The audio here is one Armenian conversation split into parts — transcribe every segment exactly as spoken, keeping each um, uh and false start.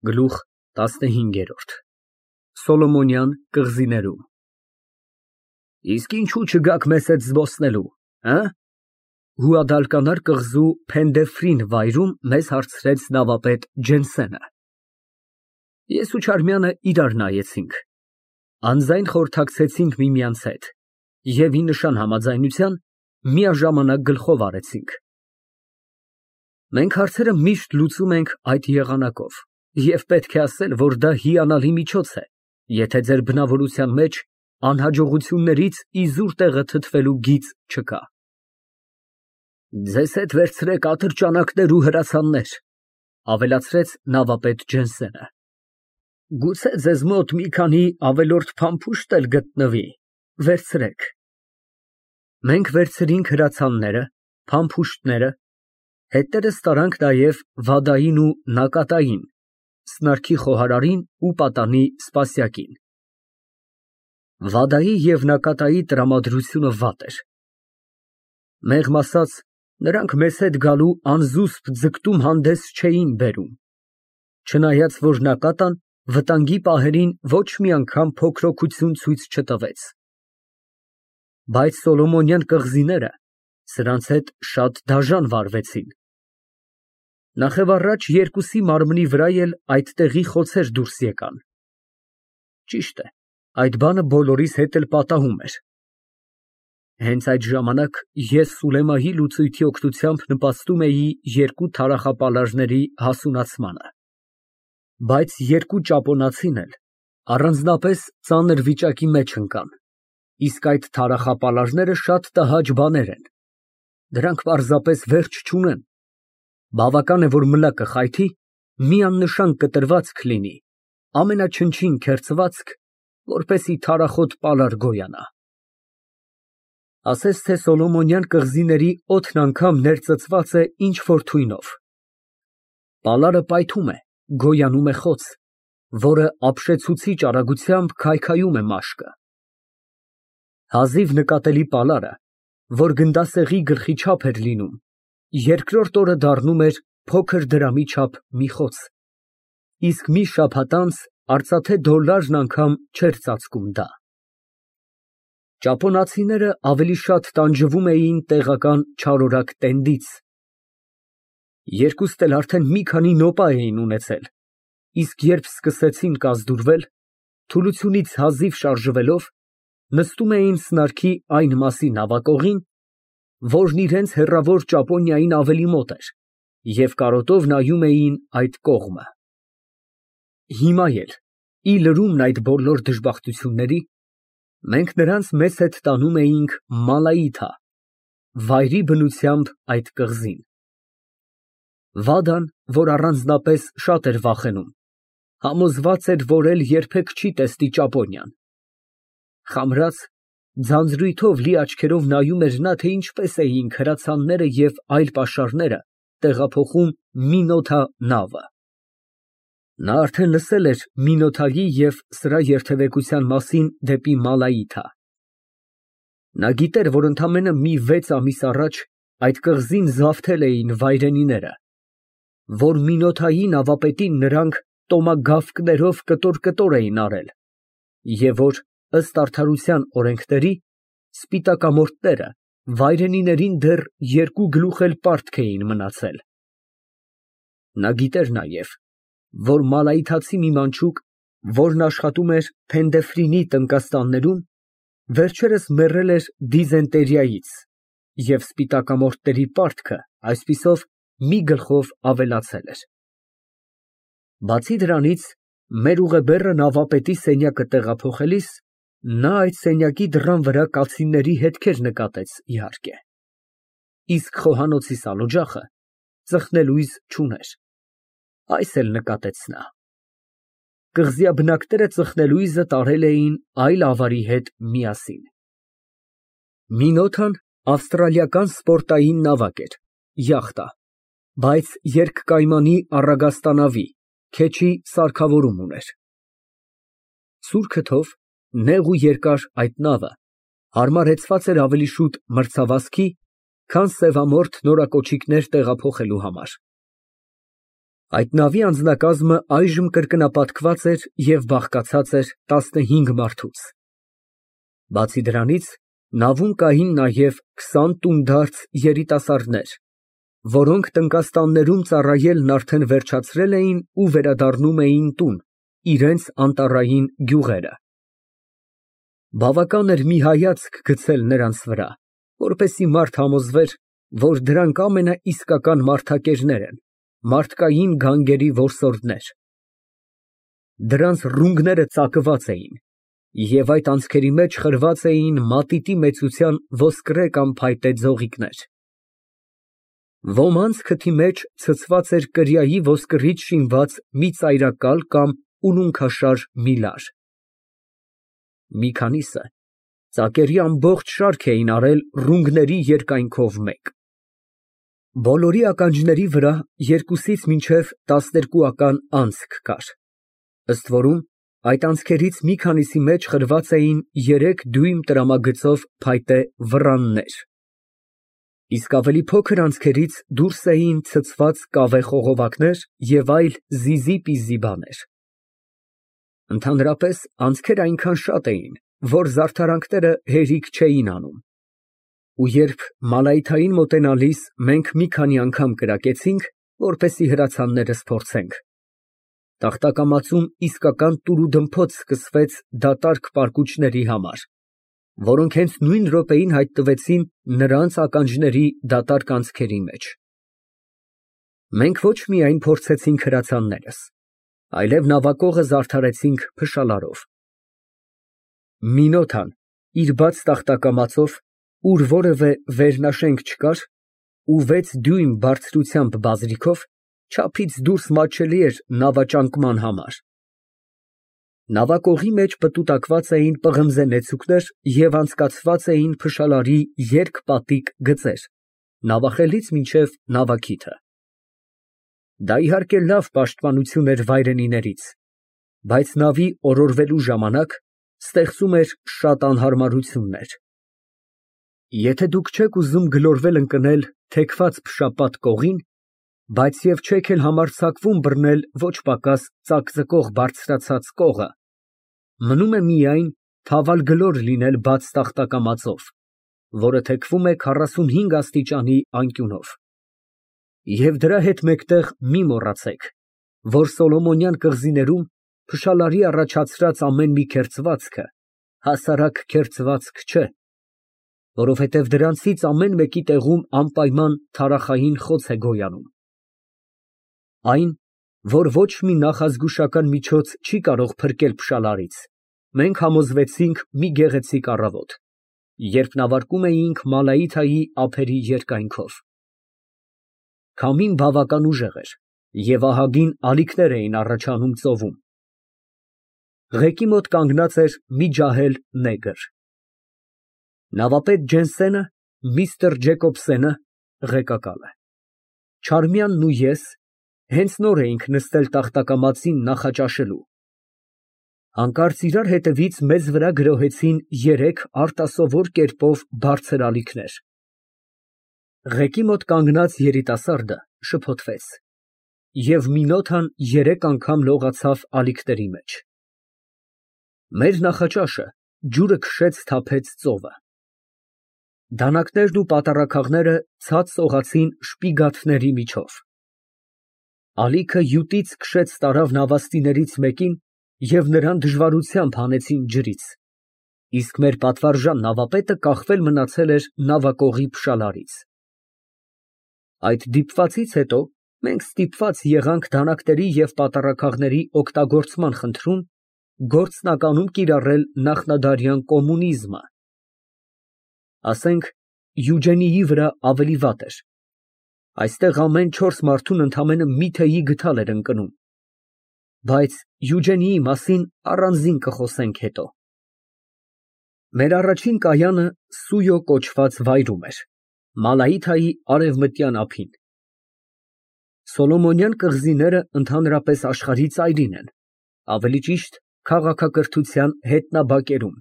Գլուխ տասնհինգ Սոլոմոնյան կղզիներում Իսկ ինչո՞ւ չգաք մեզ հետ զբոսնելու, հը։ Գուադալկանար կղզու Փենդեֆրին վայրում մեզ հարցրեց նավապետ Ջենսենը։ Ես ու Չարմյանը իրար նայեցինք, անձայն խորհրդակցեցինք միմյանց հետ և ի նշան համաձայնության միաժամանակ գլխով արեցինք։ Մենք հարցերը միշտ լուծում ենք այդ եղանակով և պետք է ասել, որ դա հիանալի միջոց է, եթե ձեր բնավորության մեջ անհաջողություններից իզուր տեղը թթվելու գիծ չկա։ Ձեզ հետ վերցրեք ատրճանակներ ու հրացաններ, ավելացրեց նավապետ Ջենսենը։ Գուցե ձեզ մոտ մի քանի ավելորդ փամփուշտ էլ գտնվի, վերցրեք։ Մենք վերցրինք հրացանները, փամփուշտները, հետներս տարանք նաև վադային ու նակատային, սնարքի խոհարարին ու պատանի սպասյակին։ Վադայի և նակատայի տրամադրությունը վատ էր։ Մեղմ ասած, նրանք մեզ հետ գալու անզուսպ ձգտում հանդես չէին բերում, չնայած որ նակատան վտանգի պահերին ոչ մի անգամ փոքրօգություն ցույց չտվեց։ Բայց Սոլոմոնյան կղզիները սրանց հետ շատ դաժան վարվեցին։ Նախևառաջ երկուսի մարմնի վրա էլ այդտեղի խոցեր դուրս եկան։ Ճիշտ է, այդ բանը բոլորիս հետ էլ պատահում էր։ Հենց այդ ժամանակ ես Սուլեմայի լուծույթի օգնությամբ նպաստում էի երկու թարախապալարների հասունացմանը։ Բայց երկու ճապոնացին էլ առանձնապես ծանր վիճակի մեջ ընկան, իսկ այդ թարախապալարները շատ տհաճ բաներ են, դրանք պարզապես վերջ չունեն, բավական է, որ մլակը խայթի, մի աննշան կտրվածք լինի, ամենաչնչին քերծվածք, որպեսզի թարախոտ պալար գոյանա։ Ասես թե Սոլոմոնյան կղզիների օդն անգամ ներծծված է ինչ֊որ թույնով։ Պալարը պայթում է, գոյանում է խոց, որը ապշեցուցիչ արագությամբ քայքայում է մաշկը։ Հազիվ նկատելի պալարը, որ գնդասեղի գլխի չափ էր լինում, երկրորդ օրը դառնում էր փոքր դրամի չափ մի խոց, իսկ մի շաբաթ անց արծաթե դոլլարն անգամ չէր ծածկում դա։ Ճապոնացիները ավելի շատ տանջվում էին տեղական չարորակ տենդից։ Երկուստ էլ արդեն մի քանի նոպա էին ունեցել, իսկ երբ սկսեցին կազդուրվել, թուլությունից հազիվ շարժվելով, նստում էին սնարքի այն մասի նավակողին, որն իրենց հեռավոր Ճապոնիային ավելի մոտ էր, և կարոտով նայում էին այդ կողմը։ Հիմա էլ, ի լրումն այդ բոլոր դժբախտությունների, մենք նրանց մեզ հետ տանում էինք Մալայիթա, վայրի բնությամբ այդ կղզին։ Վադան, որ առանձնապես շատ էր վախենում, համոզված էր, որ էլ երբեք չի տեսնի Ճապոնիան։ Խամրած, ձանձրույթով լի աչքերով նայում էր նա, թե ինչպես էինք հրացանները և այլ պաշարները տեղափոխում Մինոթա նավը։ Նա արդեն լսել էր Մինոթայի և սրա երթևեկության մասին դեպի Մալայիթա։ Նա գիտեր, որ ընդամենը մի վեց ամիս առաջ այդ կղզին զավթել էին վայրենիները, որ Մինոթայի նավապետին նրանք տոմագավկներով կտոր֊կտոր էին արել, և որ, ըստ արդարության օրենքների, սպիտակամորթները վայրենիներին դեռ երկու գլուխ էլ պարտք էին մնացել։ Նա գիտեր նաև, որ մալայիթացի մի մանչուկ, որն աշխատում էր Փենդեֆրինի տնկաստաններում, վերջերս մեռել էր դիզենտերիայից, և սպիտակամորթների պարտքը այսպիսով մի գլխով ավելացել էր։ Բացի դրանից, մեր ուղեբեռը նավապետի սենյակը տեղափոխելիս, նա այդ սենյակի դռան վրա կացինների հետքեր նկատեց, իհարկե, իսկ խոհանոցի սալօջախը ծխնելույզ չուներ, այս էլ նկատեց նա։ Կղզիաբնակները ծխնելույզը տարել էին այլ ավարի հետ միասին։ Մինոթան ավստրալիական սպորտային նավակ էր, յախտա, բայց երկկայմանի առագաստանավի, քեչի սարքավորում ուներ։ Սուր քթով, նեղ ու երկար այդ նավը հարմարեցված էր ավելի շուտ մրցավազքի, քան սևամորթ նորակոչիկներ տեղափոխելու համար։ Այդ նավի անձնակազմը այժմ կրկնապատկված էր և բաղկացած էր տասնհինգ մարդուց։ Բացի դրանից, նավում կային նաև քսան տունդարձ երիտասարդներ, որոնք տնկաստաններում ծառայելն արդեն վերջացրել էին ու վերադառնում էին տուն, իրենց անտառային գյուղերը։ Բավական էր մի հայացք գցել նրանց վրա, որպեսզի մարդ համոզվեր, որ դրանք ամենաիսկական մարդակերներ են, մարդկային գանգերի որսորդներ։ Դրանց ռունգները ծակված էին, և այդ անցքերի մեջ խրված էին մատիտի մեծության ոսկրե կամ փայտե ձողիկներ։ Ոմանց քթի մեջ ցցված էր կրիայի ոսկրից շինված մի ծայրակալ կամ ուլունքաշար մի լար։ Մի քանիսը ծակերի ամբողջ շարք էին արել ռունգների երկայնքով մեկ։ Բոլորի ականջների վրա երկուսից մինչև տասներկուական անցք կար, ըստ որում այդ անցքերից մի քանիսի մեջ խրված էին երեք դյույմ տրամագծով փայտե վռաններ, իսկ ավելի փոքր անցքերից դուրս էին ցցված կավե խողովակներ և այլ զիզի֊պիզի բաներ։ Ընդհանրապես անցքերն այնքան շատ էին, որ զարդարանքները հերիք չէին անում, ու երբ Մալայթային մոտենալիս մենք մի քանի անգամ կրակեցինք, որպեսզի հրացաններս փորձենք, տախտակամածում իսկական տուրուդմփոց սկսվեց դատարկ պարկուճների համար, որոնք հենց նույն րոպեին հայտնվեցին նրանց ականջների դատարկ անցքերի մեջ։ Մենք ոչ միայն փորձեցինք հրացաններս, այլև նավակողը զարդարեցինք փշալարով։ Մինոթան իր բաց տախտակամածով, ուր որևէ վերնաշենք չկար, ու վեց դյույմ բարձրությամբ բազրիքով, չափից դուրս մատչելի էր նավաճանկման համար։ Նավակողի մեջ պտուտակված էին պղնձե նեցուկներ և անցկացված էին փշալարի երկպատիկ գծեր, նավախելից մինչև նավաքիթը։ Դա իհարկե լավ պաշտպանություն էր վայրենիներից, բայց նավի օրորվելու ժամանակ ստեղծում էր շատ անհարմարություններ։ Եթե դուք չեք ուզում գլորվել ընկնել թեքված փշապատ կողին, բայց և չեք էլ համարձակվում բռնել ոչ պակաս ծակծկող բարձրացած կողը, մնում է միայն թավալգլոր լինել բաց տախտակամածով, որը թեքվում է քառասունհինգ աստիճանի անկյունով։ Եվ դրա հետ մեկտեղ մի մոռացեք, որ Սոլոմոնյան կղզիներում փշալարի առաջացրած ամեն մի քերծվածքը հասարակ քերծվածք չէ, որովհետև դրանցից ամեն մեկի տեղում անպայման թարախային խոց է գոյանում։ Այն, որ ոչ մի նախազգուշական միջոց չի կարող փրկել փշալարից, մենք համոզվեցինք մի գեղեցիկ առավոտ, երբ նավարկում էինք Մալայիթայի ափերի երկայնքով։ Քամին բավական ուժեղ էր, և ահագին ալիքներ էին առաջանում ծովում։ Ղեկի մոտ կանգնած էր մի ջահել նեգր։ Նավապետ Ջենսենը, միստր Ջեկոբսենը (ղեկակալը), Չարմյանն ու ես հենց նոր էինք նստել տախտակամածին նախաճաշելու։ Հանկարծ իրար հետևից մեզ վրա գրոհեցին երեք արտասովոր կերպով բարձր ալիքներ։ Ղեկի մոտ կանգնած երիտասարդը շփոթվեց, և Մինոթան երեք անգամ լողացավ ալիքների մեջ։ Մեր նախաճաշը ջուրը քշեց թափեց ծովը։ Դանակներն ու պատառաքաղները ցած սողացին շպիգաթների միջով։ Ալիքը յուտից քշեց տարավ նավաստիներից մեկին և նրան դժվարությամբ հանեցին ջրից, իսկ մեր պատվարժան նավապետը կախվել մնացել էր նավակողի փշալարից։ Այդ դիպվածից հետո մենք ստիպված եղանք դանակների և պատառաքաղների օգտագործման խնդրում գործնականում կիրառել նախնադարյան կոմունիզմը։ Ասենք, Յուջենիի վրա ավելի վատ էր։ Այստեղ ամեն չորս մարդուն ընդամենը մի թեյի գդալ էր ընկնում։ Բայց Յուջենիի մասին առանձին կխոսենք հետո։ Մեր առաջին կայանը Սույո կոչված վայրում էր, Մալայիթայի արևմտյան ափին։ Սոլոմոնյան կղզիները ընդհանրապես աշխարհի ծայրին են, ավելի ճիշտ քաղաքակրթության հետնաբակերում։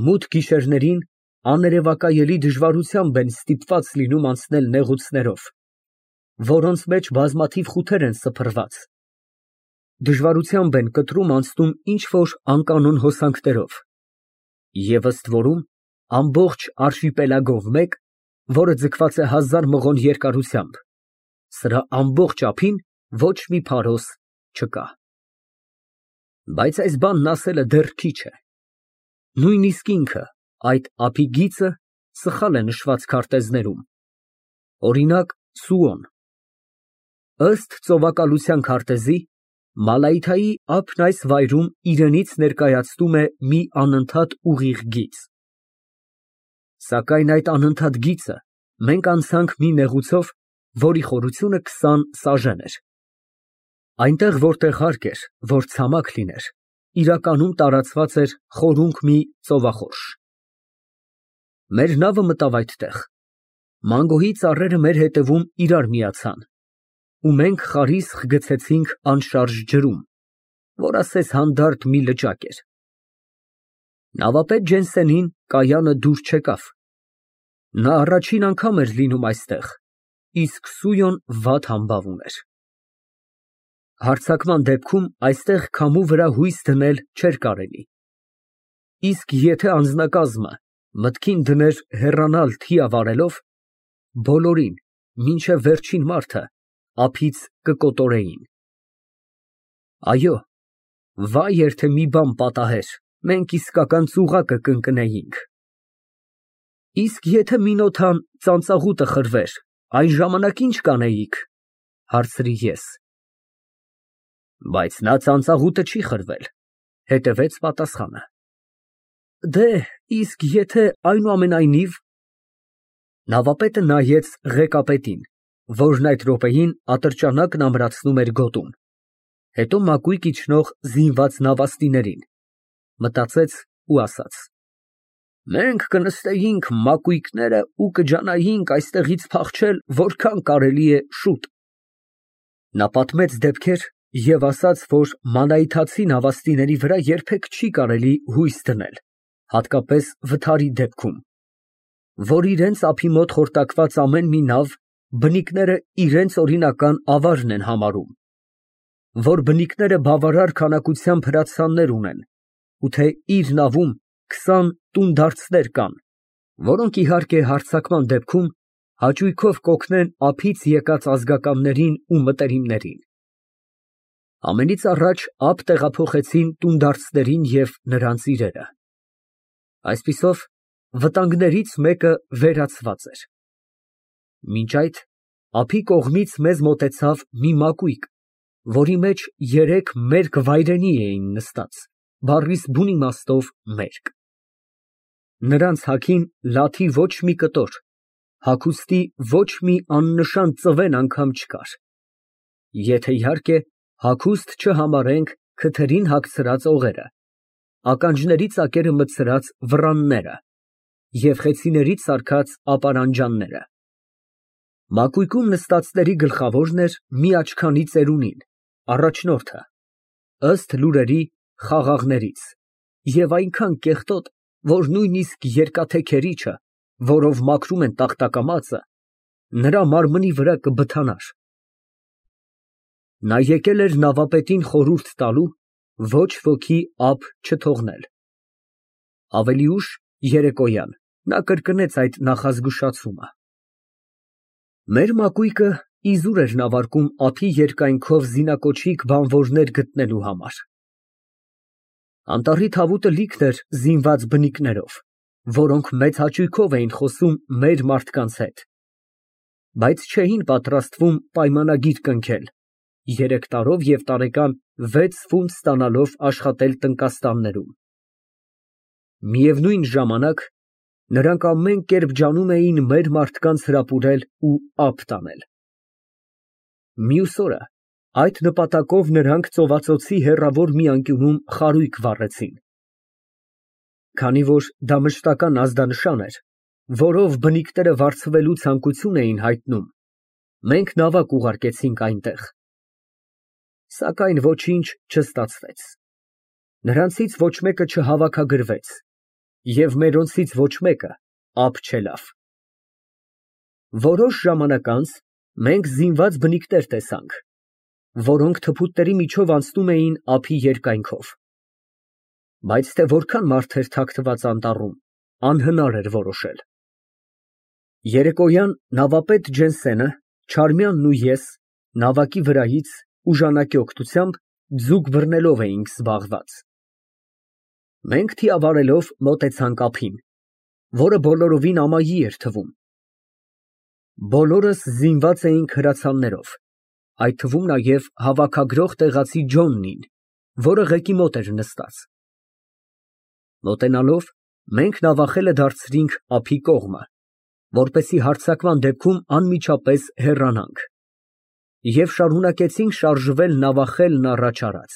Մութ գիշերներին աներևակայելի դժվարությամբ են ստիպված լինում անցնել նեղուցներով, որոնց մեջ բազմաթիվ խութեր են սփռված, դժվարությամբ են կտրում անցնում ինչ֊որ անկանոն հոսանքներով, և ըստ որում ամբողջ արշիպելագով մեկ, որը ձգված է հազար մղոն երկարությամբ, սրա ամբողջ ափին ոչ մի փարոս չկա։ Բայց այս բանն ասելը դեռ քիչ է. նույնիսկ ինքը, այդ ափի գիծը, սխալ է նշված քարտեզներում, օրինակ Սուոն։ Ըստ ծովակալության քարտեզի, Մալայիթայի ափն այս վայրում իրենից ներկայացնում է մի անընդհատ ուղիղ գիծ։ Սակայն այդ անընդհատ գիծը մենք անցանք մի նեղուցով, որի խորությունը քսան սաժեն էր։ Այնտեղ, որտեղ հարկ էր, որ ցամաք լիներ, իրականում տարածված էր խորունկ մի ծովախորշ։ Մեր նավը մտավ այդտեղ։ Մանգոյի ծառերը մեր հետևում իրար միացան, ու մենք խարիսխ գցեցինք անշարժ ջրում, որ ասես հանդարտ մի լճակ էր։ Նավապետ Ջենսենին կայանը դուր չեկավ։ Նա առաջին անգամ էր լինում այստեղ, իսկ Սույոն վատ համբավ ուներ։ Հարձակման դեպքում այստեղ քամու վրա հույս դնել չէր կարելի։ Իսկ եթե անձնակազմը մտքին դներ հեռանալ թիա վարելով, բոլորին, մինչև վերջին մարդը, ափից կկոտորեին։ Այո, վայ էր թե մի բան պատահեր, մենք իսկական ծուղակը կընկնեինք։ Իսկ եթե Մինոթան ծանծաղուտը խրվեր, այն ժամանակ ի՞նչ կանեիք, հարցրի ես։ Բայց նա ծանծաղուտը չի խրվել, հետևեց պատասխանը։ Դե, իսկ եթե այնուամենայնիվ… Նավապետը նայեց ղեկապետին, որն այդ րոպեին ատրճանակն ամրացնում էր գոտում, հետո մակույկն իջնող զինված նավաստիներին, մտածեց ու ասաց. Մենք կնստեինք մակույկները ու կջանայինք այստեղից փախչել որքան կարելի է շուտ։ Նա պատմեց դեպքեր և ասաց, որ մանայիթացի նավաստիների վրա երբեք չի կարելի հույս դնել, հատկապես վթարի դեպքում, որ իրենց ափի մոտ խորտակված ամեն մի նավ բնիկները իրենց օրինական ավարն են համարում, որ բնիկները բավարար քանակությամբ հրացաններ ունեն, ու թե իր նավում քսան տունդարձներ կան, որոնք իհարկե հարձակման դեպքում հաճույքով կօգնեն ափից եկած ազգականներին ու մտերիմներին։ Ամենից առաջ ափ տեղափոխեցին տունդարձներին և նրանց իրերը։ Այսպիսով, վտանգներից մեկը վերացված էր։ Մինչ այդ, ափի կողմից մեզ մոտեցավ մի մակույկ, որի մեջ երեք մերկ վայրենի էին նստած, բառիս բուն իմաստով մերկ։ Նրանց հագին լաթի ոչ մի կտոր, հագուստի ոչ մի աննշան ծվեն անգամ չկար, եթե իհարկե հագուստ չհամարենք քթերին հագցրած օղերը, ականջների ծակերը մտցրած վռանները և խեցիներից սարքած ապարանջանները։ Մակույկում նստածների գլխավորն էր մի աչքանի ծերունին, առաջնորդը, ըստ լուրերի խաղաղներից, և այնքան կեղտոտ, որ նույնիսկ երկաթեքերիչը, որով մաքրում են տախտակամածը, նրա մարմնի վրա կբթանար։ Նա եկել էր նավապետին խորհուրդ տալու ոչ ոքի ափ չթողնել։ Ավելի ուշ, երեկոյան, նա կրկնեց այդ նախազգուշացումը։ Մեր մակույկը իզուր էր նավարկում ափի երկայնքով զինակոչիկ բանվորներ գտնելու համար։ Անտառի թավուտը լիքն էր զինված բնիկներով, որոնք մեծ հաճույքով էին խոսում մեր մարդկանց հետ, բայց չէին պատրաստվում պայմանագիր կնքել, երեք տարով և տարեկան վեց ֆունտ ստանալով աշխատել տնկաստաններում։ Միևնույն ժամանակ, նրանք ամեն կերպ ջանում էին մեր մարդկանց հրապուրել ու ափ տանել։ Մյուս օրը այդ նպատակով նրանք ծովածոցի հեռավոր մի անկյունում խարույկ վառեցին։ Քանի որ դա մշտական ազդանշան էր, որով բնիկները վարձվելու ցանկություն էին հայտնում, մենք նավակ ուղարկեցինք այնտեղ։ Սակայն ոչինչ չստացվեց։ Նրանցից ոչ մեկը չհավաքագրվեց, և մերոնցից ոչ մեկը ափ չելավ։ Որոշ ժամանակ անց Մենք զինված բնիկներ տեսանք, որոնք թփուտների միջով անցնում էին ափի երկայնքով, բայց թե որքան մարդ էր թաքնված անտառում, անհնար էր որոշել։ Երեկոյան նավապետ Ջենսենը, Չարմյանն ու ես նավակի վրայից ուժանակի օգնությամբ ձուկ բռնելով էինք զբաղված։ Մենք թիավարելով մոտեցանք ափին, որը բոլորովին ամայի էր թվում։ Բոլորս զինված էինք հրացաններով, այդ թվում նաև հավաքագրող տեղացի Ջոննին, որը ղեկի մոտ էր նստած։ Մոտենալով մենք նավախելը դարձրինք ափի կողմը, որպեսզի հարձակման դեպքում անմիջապես հեռանանք, և շարունակեցինք շարժվել նավախելն առաջ արած։